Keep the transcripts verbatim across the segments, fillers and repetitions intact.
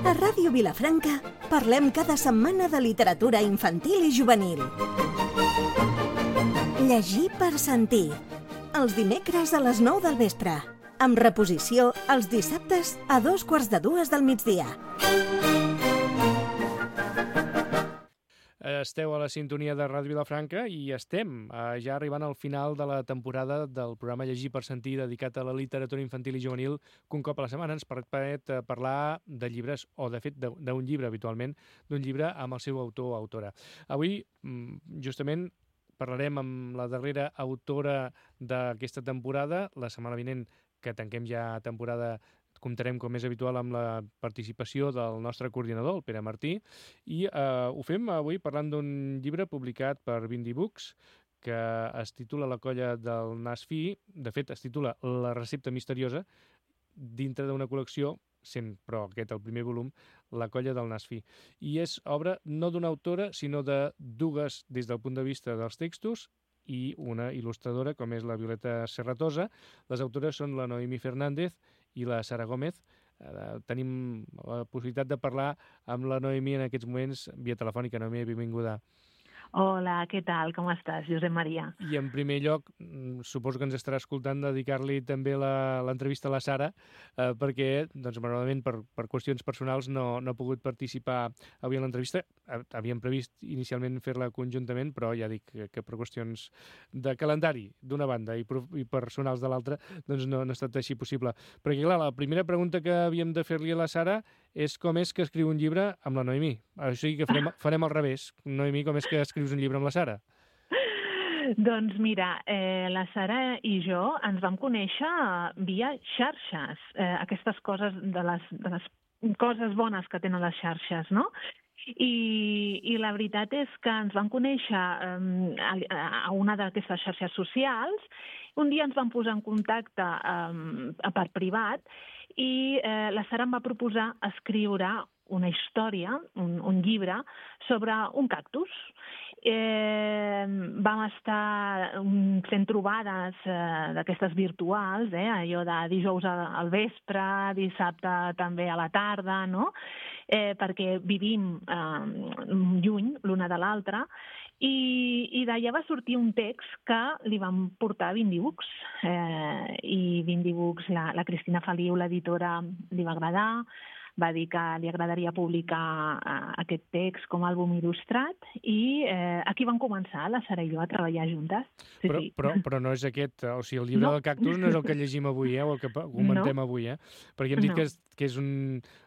A Ràdio Vilafranca parlem cada setmana de literatura infantil i juvenil. Llegir per sentir. Els dimecres a les nou del vespre. Amb reposició els dissabtes a dos quarts de dues del migdia. Esteu a la sintonia de Ràdio Vilafranca i estem eh, ja arribant al final de la temporada del programa Llegir per sentir, dedicat a la literatura infantil i juvenil, que un cop a la setmana ens permet eh, parlar de llibres, o de fet d'un llibre habitualment, d'un llibre amb el seu autor o autora. Avui, justament, parlarem amb la darrera autora d'aquesta temporada. La setmana vinent, que tanquem ja temporada, comptarem, com és habitual, amb la participació del nostre coordinador, el Pere Martí, i eh, ho fem avui parlant d'un llibre publicat per Bindi Books, que es titula La colla del nas fi. De fet, es titula La recepta misteriosa, dintre d'una col·lecció, sent, però aquest el primer volum, La colla del nas fi. I és obra no d'una autora, sinó de dues des del punt de vista dels textos, i una il·lustradora, com és la Violeta Serratosa. Les autores són la Noemí Fernández i la Sara Gómez. Eh, tenim la possibilitat de parlar amb la Noemí en aquests moments via telefònica. Noemí, benvinguda. Hola, què tal? Com estàs, Josep Maria? I en primer lloc, suposo que ens estarà escoltant, dedicar-li també l'entrevista a la Sara, eh, perquè, doncs, malauradament, per, per qüestions personals no, no ha pogut participar avui en l'entrevista. Havíem previst inicialment fer-la conjuntament, però ja dic que, que per qüestions de calendari d'una banda i, i personals de l'altra, doncs no, no ha estat així possible. Perquè, clar, la primera pregunta que havíem de fer-li a la Sara és com és que escriu un llibre amb la Noemí. O sigui que farem, farem al revés. Noemí, com és que escrius un llibre amb la Sara? Doncs mira, eh, la Sara i jo ens vam conèixer via xarxes. Eh, aquestes coses, de les, de les coses bones que tenen les xarxes, no? I, i la veritat és que ens vam conèixer eh, a, a una d'aquestes xarxes socials. Un dia ens vam posar en contacte eh, per privat i eh, la Sara em va proposar escriure una història, un, un llibre, sobre un cactus. Eh, vam estar fent trobades eh, d'aquestes virtuals, eh, allò de dijous al vespre, dissabte també a la tarda, no? Eh, perquè vivim eh, lluny l'una de l'altra, i, i d'allà va sortir un text que li vam portar a Bindi Books. Eh, I Bindi Books, la, la Cristina Feliu, l'editora, li va agradar, va dir que li agradaria publicar uh, aquest text com a àlbum il·lustrat i eh, aquí vam començar, la Sara i jo, a treballar juntes. Sí, però, sí. Però, però no és aquest, o sigui, el llibre no. del cactus no és el que llegim avui, eh, o el que comentem no. avui, eh? Perquè hem dit no. que és, que és un,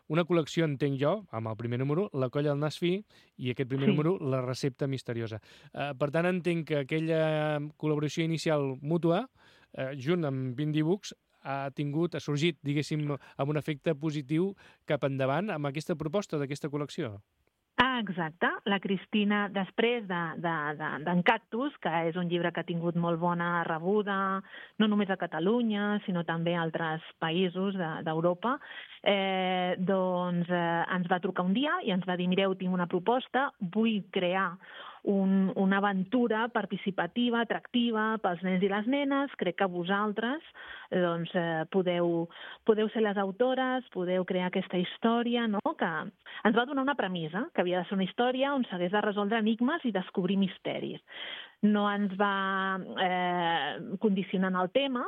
una col·lecció, entenc jo, amb el primer número, La colla del nas fi, i aquest primer sí. número, La recepta misteriosa. Uh, per tant, entenc que aquella col·laboració inicial mútua, uh, junt amb Bindi Books, ha tingut, ha sorgit, diguéssim, amb un efecte positiu cap endavant amb aquesta proposta d'aquesta col·lecció. Ah, exacte. La Cristina, després d'en de, de, de, Cactus, que és un llibre que ha tingut molt bona rebuda, no només a Catalunya, sinó també a altres països d'Europa, de, eh, doncs eh, ens va trucar un dia i ens va dir, mireu, tinc una proposta, vull crear Un, una aventura participativa, atractiva pels nens i les nenes. Crec que vosaltres doncs, eh, podeu, podeu ser les autores, podeu crear aquesta història, no? Que ens va donar una premissa, que havia de ser una història on s'hagués de resoldre enigmes i descobrir misteris. No ens va eh, condicionar en el tema,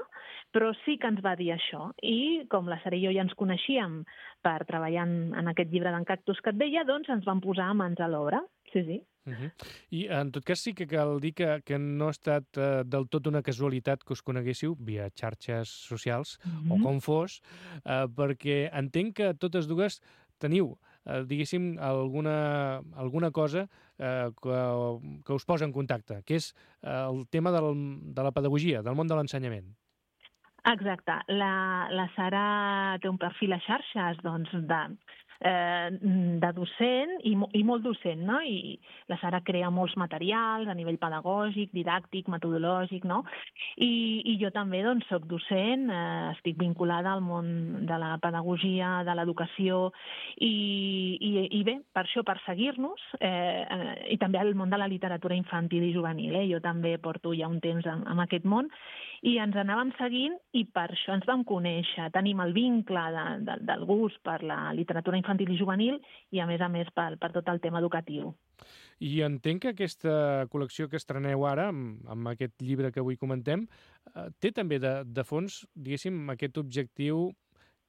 però sí que ens va dir això. I com la Sara i jo ja ens coneixíem per treballar en, en aquest llibre d'en Cactus que et deia, doncs ens vam posar mans a l'obra. Sí, sí. Uh-huh. I en tot cas sí que cal dir que, que no ha estat uh, del tot una casualitat que us coneguéssiu via xarxes socials, uh-huh. o com fos, uh, perquè entenc que totes dues teniu, uh, diguéssim, alguna, alguna cosa uh, que, que us posa en contacte, que és uh, el tema del, de la pedagogia, del món de l'ensenyament. Exacte. La, la Sara té un perfil a xarxes doncs, de, eh, de docent i, i molt docent, no? I la Sara crea molts materials a nivell pedagògic, didàctic, metodològic, no? I, i jo també doncs, soc docent, eh, estic vinculada al món de la pedagogia, de l'educació, i, i, i bé, per això, per seguir-nos, eh, eh, i també al món de la literatura infantil i juvenil. Eh? Jo també porto ja un temps en, en aquest món, i ens anàvem seguint i per això ens vam conèixer. Tenim el vincle de, de, del gust per la literatura infantil i juvenil i, a més a més, per, per tot el tema educatiu. I entenc que aquesta col·lecció que estreneu ara, amb, amb aquest llibre que avui comentem, eh, té també de, de fons, diguéssim, aquest objectiu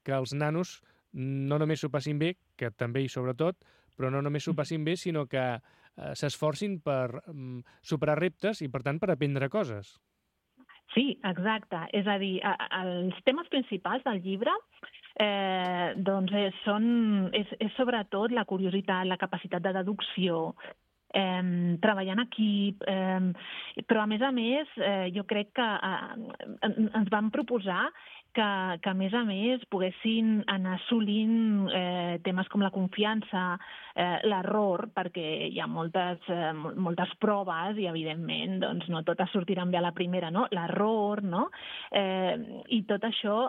que els nanos no només s'ho passin bé, que també i sobretot, però no només s'ho passin bé, sinó que eh, s'esforcin per um, superar reptes i, per tant, per aprendre coses. Sí, exacte. És a dir, els temes principals del llibre eh, doncs és, són, és, és sobretot la curiositat, la capacitat de deducció, eh, treballar en equip, eh, però a més a més eh, jo crec que eh, ens vam proposar que, que a més a més poguessin anar assolint eh, temes com la confiança, eh, l'error, perquè hi ha moltes, eh, moltes proves i evidentment doncs, no totes sortiran bé a la primera, no? L'error, no? Eh, i tot això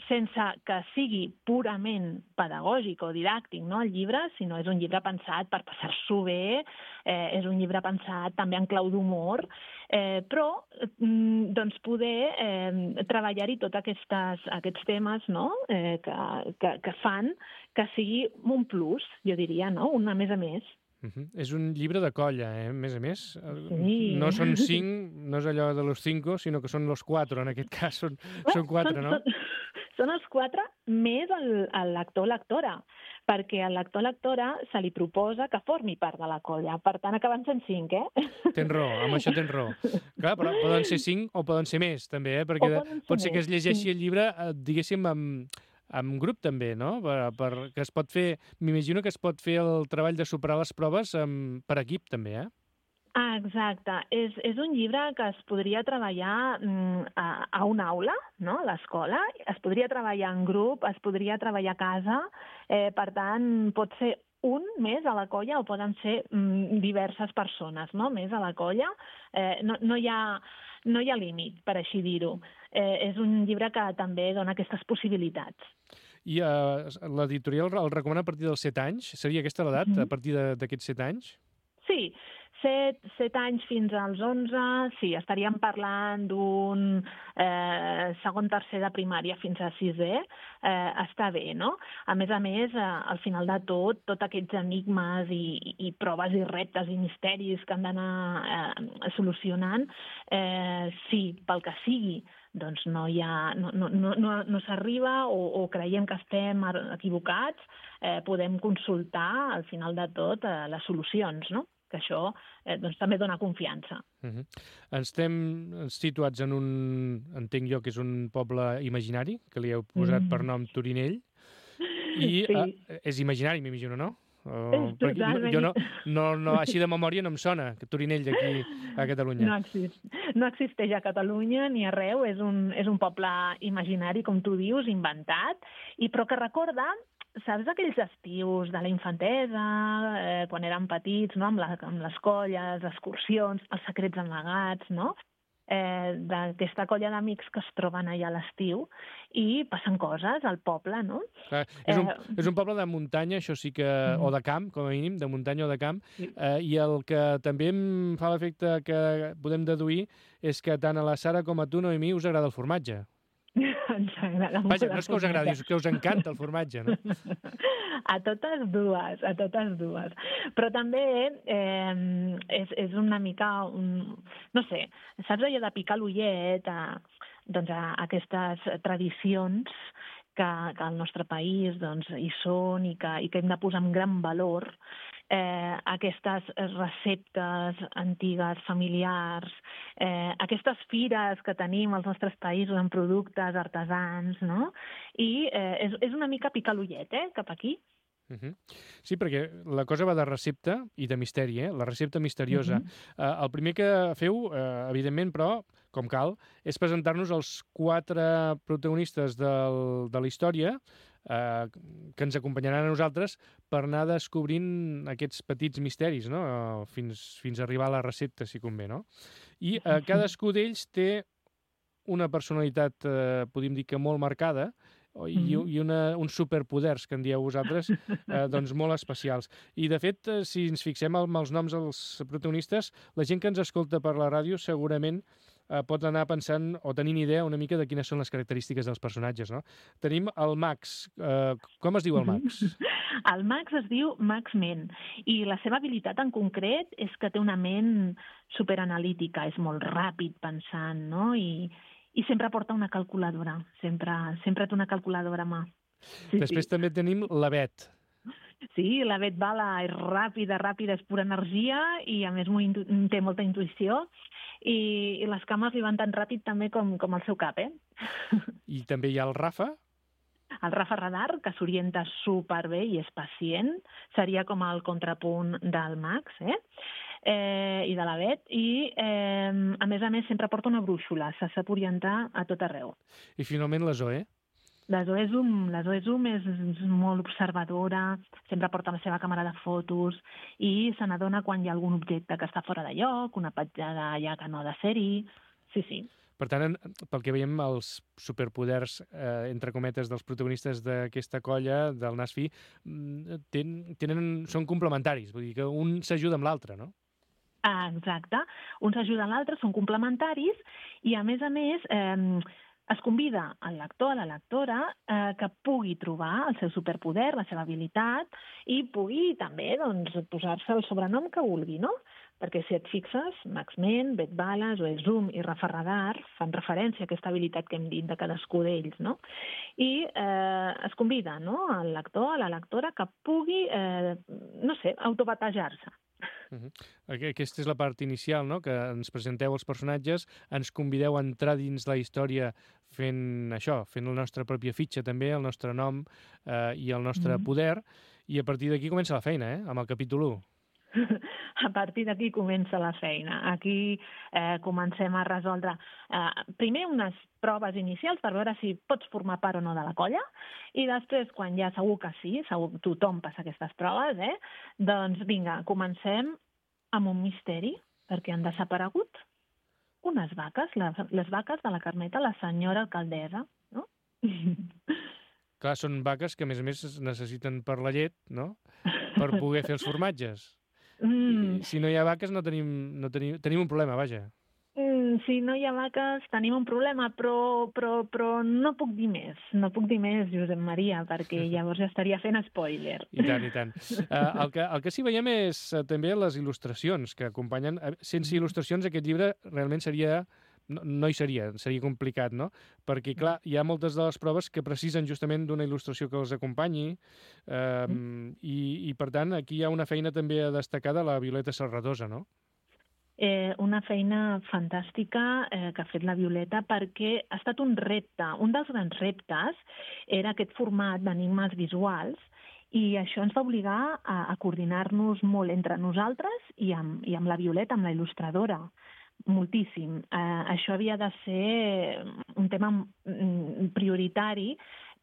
sense que sigui purament pedagògic o didàctic, no, el llibre, sinó és un llibre pensat per passar-s'ho bé, eh, és un llibre pensat també en clau d'humor, eh, però mm, doncs poder eh, treballar-hi tots aquestes, aquests temes, no, eh, que, que, que fan que sigui un plus, jo diria, no, un a més a més. Uh -huh. És un llibre de colla, eh? A més a més. Sí. No són cinc, no és allò de los cinco, sinó que són los cuatro, en aquest cas són, Bé, són quatre, són, no? Són, són els quatre més el, el lector o lectora, perquè al lector o lectora se li proposa que formi part de la colla. Per tant, acaben sent cinc, eh? Tens raó, amb això tens raó. Clar, però poden ser cinc o poden ser més, també, eh? Perquè ser pot ser que es llegeixi sí. el llibre, diguéssim, amb... amb grup també, no? Per, per, que es pot fer, m'imagino que es pot fer el treball de superar les proves amb, per equip també, eh? Ah, exacte. És, és un llibre que es podria treballar mm, a, a una aula, no? A l'escola, es podria treballar en grup, es podria treballar a casa, eh, per tant, pot ser un més a la colla o poden ser mm, diverses persones, no? Més a la colla. Eh, no, no hi ha... No hi ha límit, per així dir-ho. Eh, és un llibre que també dona aquestes possibilitats. I uh, l'editorial el recomana a partir dels set anys? Seria aquesta l'edat, mm -hmm. a partir d'aquests set anys? Sí, set, set anys fins als onze, sí, estaríem parlant d'un eh, segon, tercer de primària fins a sisè, eh, està bé, no? A més a més, eh, al final de tot, tots aquests enigmes i, i proves i reptes i misteris que han d'anar eh, solucionant, eh, sí, pel que sigui, doncs no hi ha, no, no, no, no, no s'arriba o, o creiem que estem equivocats, eh, podem consultar al final de tot eh, les solucions, no? Que això eh, doncs, també dona confiança. Uh -huh. Estem situats en un, entenc jo que és un poble imaginari, que li heu posat mm. per nom Torinell, i sí. uh, és imaginari, m'imagino, no? Uh, no, jo no, no, no, així de memòria no em sona, que Torinell d'aquí a Catalunya. No, exist, no existeix a Catalunya ni arreu, és un, és un poble imaginari, com tu dius, inventat, i però que recorda, saps aquells estius de la infantesa, eh, quan érem petits, no? amb, la, amb les colles, excursions, els secrets amagats, no? Eh, d'aquesta colla d'amics que es troben allà a l'estiu i passen coses al poble, no? Clar, és, un, eh, és un poble de muntanya, això sí que... Mm. o de camp, com a mínim, de muntanya o de camp, sí. eh, i el que també em fa l'efecte que podem deduir és que tant a la Sara com a tu, Noemí, us agrada el formatge. Ens agrada molt. Vaja, no és que us agradi, és que us encanta el formatge, no? A totes dues, a totes dues. Però també eh, és, és una mica, un, no sé, saps allò de picar l'ullet a, doncs a aquestes tradicions que, que al nostre país doncs, hi són i que, i que hem de posar en gran valor, eh, aquestes receptes antigues, familiars, eh, aquestes fires que tenim als nostres països amb productes artesans, no? I eh, és, és una mica picar l'ullet, eh, cap aquí. Uh -huh. Sí, perquè la cosa va de recepta i de misteri, eh? La recepta misteriosa. Uh -huh. uh, el primer que feu, uh, evidentment, però, com cal, és presentar-nos els quatre protagonistes del, de la història, eh, que ens acompanyaran a nosaltres per anar descobrint aquests petits misteris, no? Fins, fins a arribar a la recepta, si convé, no? I eh, cadascú d'ells té una personalitat, eh, podríem dir que molt marcada, i, Mhm. i una, uns superpoders, que en dieu vosaltres, eh, doncs molt especials. I, de fet, eh, si ens fixem amb els noms dels protagonistes, la gent que ens escolta per la ràdio segurament eh, pot anar pensant o tenint idea una mica de quines són les característiques dels personatges, no? Tenim el Max. Eh, com es diu el Max? El Max es diu Max Ment i la seva habilitat en concret és que té una ment superanalítica, és molt ràpid pensant, no? I, i sempre porta una calculadora, sempre, sempre té una calculadora a mà. Sí, Després sí. també tenim la Bet. Sí, la Bet Bala és ràpida, ràpida, és pura energia i a més molt, té molta intuïció i, i les cames li van tan ràpid també com, com el seu cap, eh? I també hi ha el Rafa. El Rafa Radar, que s'orienta superbé i és pacient, seria com el contrapunt del Max, eh? Eh, i de la Bet, i eh, a més a més sempre porta una brúixola, se sap orientar a tot arreu. I finalment la Zoe. La Zoe Zoom, la Zoe Zoom és, és molt observadora, sempre porta la seva càmera de fotos i se n'adona quan hi ha algun objecte que està fora de lloc, una petjada allà que no ha de ser-hi. Sí, sí. Per tant, pel que veiem, els superpoders, eh, entre cometes, dels protagonistes d'aquesta colla, del Nasfi, ten, tenen, són complementaris, vull dir que un s'ajuda amb l'altre, no? Ah, exacte. Un s'ajuda a l'altre, són complementaris i, a més a més, eh, es convida al lector, a la lectora, eh, que pugui trobar el seu superpoder, la seva habilitat, i pugui també doncs, posar-se el sobrenom que vulgui, no? Perquè si et fixes, Max Ment, Bet Bala, Zoe Zoom i Rafa Radar fan referència a aquesta habilitat que hem dit de cadascú d'ells, no? I eh, es convida, no?, al lector, a la lectora, que pugui, eh, no sé, autobatejar-se. Uh-huh. Aquesta és la part inicial, no?, que ens presenteu els personatges, ens convideu a entrar dins la història fent això, fent la nostra pròpia fitxa també, el nostre nom eh, i el nostre mm-hmm. poder, i a partir d'aquí comença la feina, eh?, amb el capítol u. A partir d'aquí comença la feina. Aquí eh, comencem a resoldre eh, primer unes proves inicials per veure si pots formar part o no de la colla i després, quan ja segur que sí, segur que tothom passa aquestes proves, eh, doncs vinga, comencem amb un misteri, perquè han desaparegut unes vaques, les, les vaques de la Carmeta, la senyora alcaldessa, no? Clar, són vaques que a més a més necessiten per la llet, no?, per poder fer els formatges. Mm. Si no hi ha vaques no tenim, no tenim, tenim un problema, vaja. Mm, si no hi ha vaques tenim un problema, però, però, però no puc dir més. No puc dir més, Josep Maria, perquè llavors ja estaria fent spoiler. I tant, i tant. Uh, el, que, el que sí veiem és uh, també les il·lustracions que acompanyen. Sense il·lustracions aquest llibre realment seria... No, no hi seria, seria complicat, no? Perquè, clar, hi ha moltes de les proves que precisen justament d'una il·lustració que els acompanyi eh, mm. i, i, per tant, aquí hi ha una feina també a destacar de la Violeta Serradosa, no? Eh, una feina fantàstica eh, que ha fet la Violeta perquè ha estat un repte. Un dels grans reptes era aquest format d'enigmes visuals i això ens va obligar a, a coordinar-nos molt entre nosaltres i amb, i amb la Violeta, amb la il·lustradora. Moltíssim. Eh, això havia de ser un tema prioritari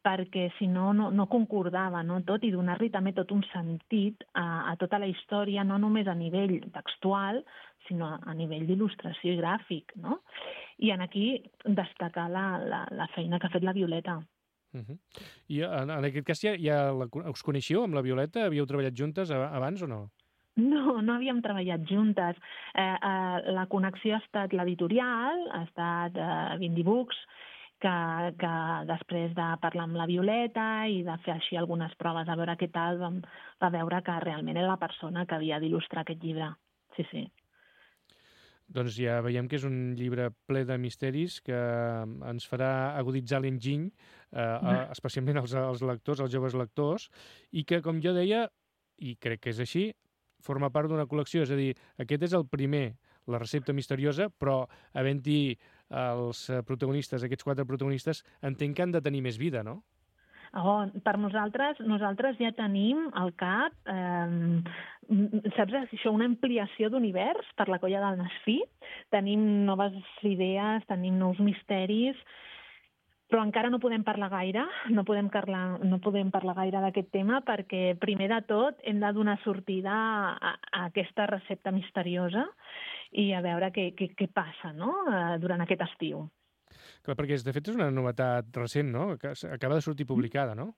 perquè si no, no, no concordava, no? Tot, i donar-li també tot un sentit a, a tota la història, no només a nivell textual, sinó a, a nivell d'il·lustració i gràfic, no? I en aquí destacar la, la, la feina que ha fet la Violeta. Uh-huh. I en, en aquest cas ja, ja la, us coneixeu amb la Violeta? Havíeu treballat juntes abans o no? No, no havíem treballat juntes. Eh, eh, la connexió ha estat l'editorial, ha estat eh, Vindy Books, que, que després de parlar amb la Violeta i de fer així algunes proves a veure què tal, vam, va veure que realment era la persona que havia d'il·lustrar aquest llibre. Sí, sí. Doncs ja veiem que és un llibre ple de misteris que ens farà aguditzar l'enginy, eh, especialment als, als lectors, als joves lectors, i que, com jo deia, i crec que és així, forma part d'una col·lecció, és a dir, aquest és el primer, la recepta misteriosa, però havent-hi els protagonistes, aquests quatre protagonistes, entenc que han de tenir més vida, no? Oh, per nosaltres, nosaltres ja tenim al cap, eh, saps això, una ampliació d'univers per la colla del Nasfi, tenim noves idees, tenim nous misteris, però encara no podem parlar gaire, no podem parlar, no podem parlar gaire d'aquest tema perquè, primer de tot, hem de donar sortida a, a aquesta recepta misteriosa i a veure què, què, què passa, no?, durant aquest estiu. Clar, perquè de fet és una novetat recent, no?, que acaba de sortir publicada, no?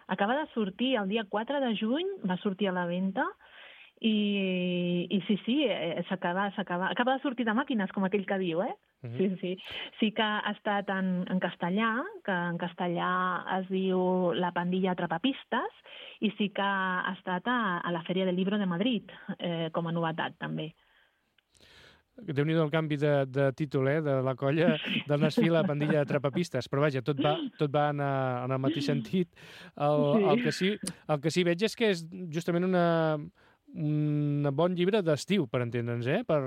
Acaba de sortir el dia quatre de juny, va sortir a la venda, i, i sí, sí, s'acaba, s'acaba, acaba de sortir de màquines, com aquell que diu, eh? Uh-huh. Sí, sí. Sí que ha estat en, en castellà, que en castellà es diu La pandilla atrapapistes, i sí que ha estat a, a la Fèria del Libro de Madrid, eh, com a novetat, també. Déu-n'hi-do el canvi de, de títol, eh, de la colla del Nasfil a la pandilla atrapapistes, però vaja, tot va, tot va en, en el mateix sentit. El, sí. El, que sí, el que sí veig és que és justament una... un bon llibre d'estiu, per entendre'ns, eh? Per,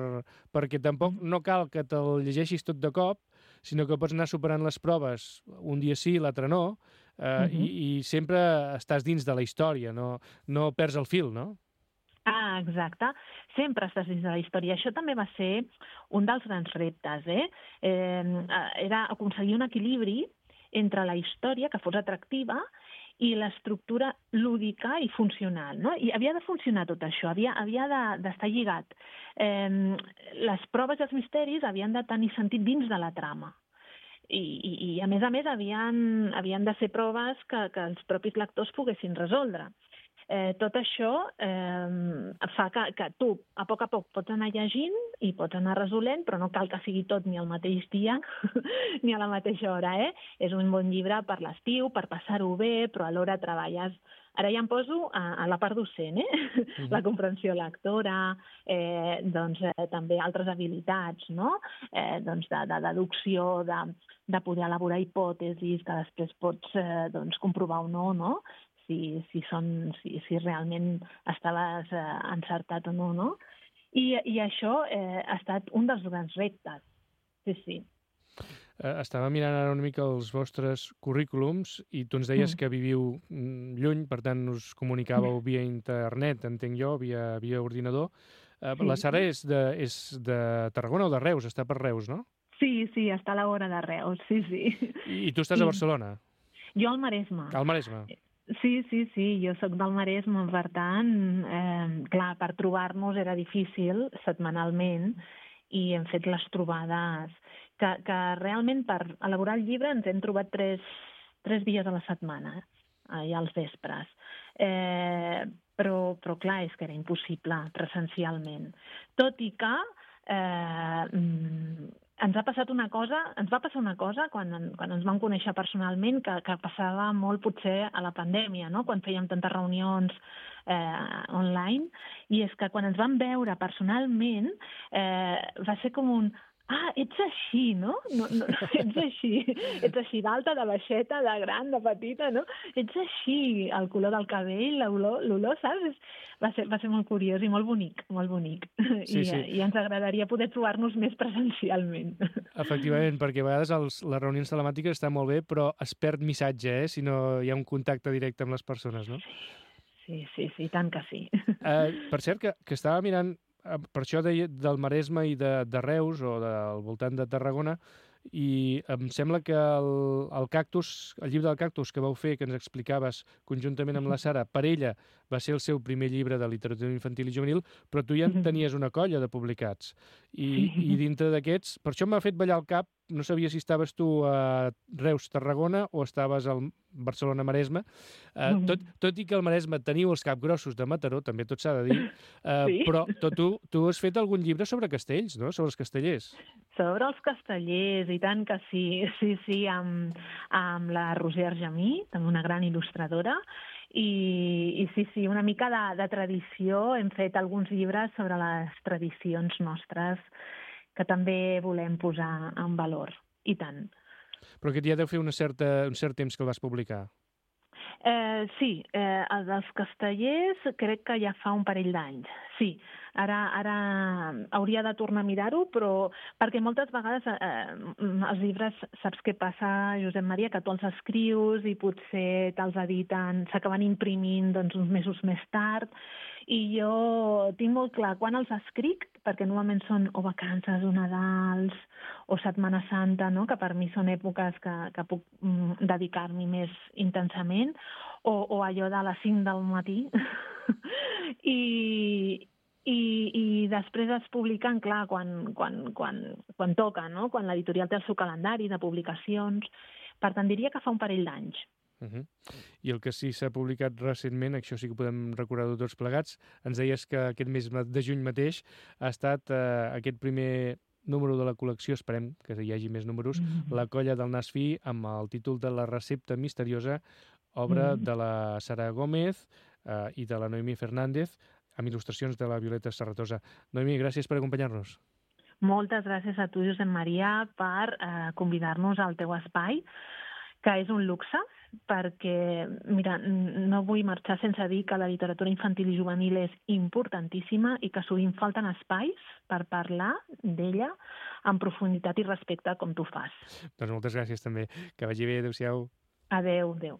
perquè tampoc no cal que te'l llegeixis tot de cop, sinó que pots anar superant les proves un dia sí, l'altre no, eh, uh-huh. i, i sempre estàs dins de la història, no, no perds el fil, no? Ah, exacte. Sempre estàs dins de la història. Això també va ser un dels grans reptes, eh? eh era aconseguir un equilibri entre la història, que fos atractiva, i l'estructura lúdica i funcional, no? I havia de funcionar tot això, havia, havia d'estar de, lligat. Eh, les proves i els misteris havien de tenir sentit dins de la trama. I, i, i a més a més, havien, havien de ser proves que, que els propis lectors poguessin resoldre. Eh, tot això eh, fa que, que tu, a poc a poc, pots anar llegint i pots anar resolent, però no cal que sigui tot ni al mateix dia ni a la mateixa hora, eh? És un bon llibre per l'estiu, per passar-ho bé, però alhora treballes... Ara ja em poso a, a la part docent, eh? Mm-hmm. La comprensió lectora, eh, doncs eh, també altres habilitats, no? Eh, doncs de, de deducció, de, de poder elaborar hipòtesis que després pots eh, doncs, comprovar o no, no? Si, si, són, si, si realment estaves eh, encertat o no, no? I, i això eh, ha estat un dels grans reptes, sí, sí. Eh, estava mirant ara una mica els vostres currículums i tu ens deies mm. que viviu lluny, per tant us comunicàveu via internet, entenc jo, via, via ordinador. Eh, sí. La Sara és de, és de Tarragona o de Reus? Està per Reus, no? Sí, sí, està a la vora de Reus, sí, sí. I, i tu estàs I... a Barcelona? Jo al Maresme. Al Maresme. Sí, sí, sí, jo sóc del Maresme, per tant, eh, clar, per trobar-nos era difícil setmanalment i hem fet les trobades que, que realment per elaborar el llibre ens hem trobat tres, tres dies a la setmana, eh, als vespres. Eh, però, però clar, és que era impossible presencialment. Tot i que eh, ens ha passat una cosa, ens va passar una cosa quan, quan ens vam conèixer personalment que, que passava molt potser a la pandèmia, no? Quan fèiem tantes reunions eh, online, i és que quan ens vam veure personalment eh, va ser com un... Ah, ets així, no? no, no ets així, ets així d'alta, de baixeta, de gran, de petita, no? Ets així, el color del cabell, l'olor, saps? Va ser, va ser molt curiós i molt bonic, molt bonic. Sí, I, sí. I ens agradaria poder trobar-nos més presencialment. Efectivament, perquè a vegades els, les reunions telemàtiques estan molt bé, però es perd missatge, eh? Si no hi ha un contacte directe amb les persones, no? Sí, sí, sí, tant que sí. Eh, per cert, que, que estava mirant per això de, del Maresme i de, de Reus o del voltant de Tarragona, i em sembla que el, el Cactus, el llibre del Cactus que vau fer, que ens explicaves conjuntament amb la Sara, per ella va ser el seu primer llibre de literatura infantil i juvenil, però tu ja en tenies una colla de publicats. I, i dintre d'aquests, per això m'ha fet ballar el cap, no sabia si estaves tu a Reus, Tarragona, o estaves al Barcelona, Maresme. Eh, tot, tot i que al Maresme teniu els capgrossos de Mataró, també tot s'ha de dir, eh, sí. Però tot, tu, tu has fet algun llibre sobre castells, no? Sobre els castellers. Sobre els castellers, i tant que sí. Sí, sí, amb, amb la Roser Argemí, també una gran il·lustradora, i, i sí, sí, una mica de, de tradició. Hem fet alguns llibres sobre les tradicions nostres que també volem posar en valor, i tant. Però aquest ja deu fer una certa, un cert temps que el vas publicar. Eh, sí, eh, el dels castellers crec que ja fa un parell d'anys. Sí, Ara, ara hauria de tornar a mirar-ho, però perquè moltes vegades eh, els llibres, saps què passa, Josep Maria, que tu els escrius i potser te'ls editen, s'acaben imprimint doncs, uns mesos més tard, i jo tinc molt clar quan els escric, perquè normalment són o vacances o Nadals o Setmana Santa, no? Que per mi són èpoques que, que puc mm, dedicar-m'hi més intensament, o, o allò de les cinc del matí, i, i, i després es publiquen, clar, quan, quan, quan, quan toca, no? Quan l'editorial té el seu calendari de publicacions. Per tant, diria que fa un parell d'anys. Uh -huh. I el que sí s'ha publicat recentment, això sí que podem recordar-ho tots plegats, ens deies que aquest mes de juny mateix ha estat eh, aquest primer número de la col·lecció, esperem que hi hagi més números, mm -hmm. La colla del nas fi, amb el títol de La recepta misteriosa, obra mm -hmm. de la Sara Gómez eh, i de la Noemí Fernández, amb il·lustracions de la Violeta Serratosa. Noemí, gràcies per acompanyar-nos. Moltes gràcies a tu, Josep Maria, per eh, convidar-nos al teu espai, que és un luxe, perquè, mira, no vull marxar sense dir que la literatura infantil i juvenil és importantíssima i que sovint falten espais per parlar d'ella amb profunditat i respecte com tu fas. Doncs moltes gràcies també. Que vagi bé. Adéu-siau. Adéu, adéu.